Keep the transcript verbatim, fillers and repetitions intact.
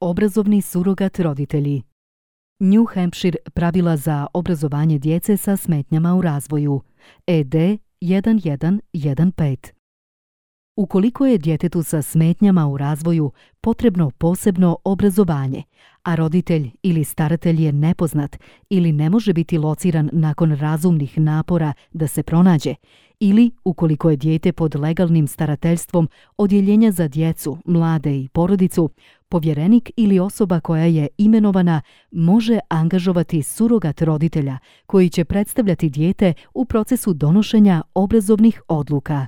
Obrazovni surogat roditelji. New Hampshire pravila za obrazovanje djece sa smetnjama u razvoju. E D jedan jedan jedan pet. Ukoliko je djetetu sa smetnjama u razvoju potrebno posebno obrazovanje, a roditelj ili staratelj je nepoznat ili ne može biti lociran nakon razumnih napora da se pronađe, ili ukoliko je dijete pod legalnim starateljstvom odjeljenja za djecu, mlade i porodicu, povjerenik ili osoba koja je imenovana može angažovati surogat roditelja koji će predstavljati dijete u procesu donošenja obrazovnih odluka.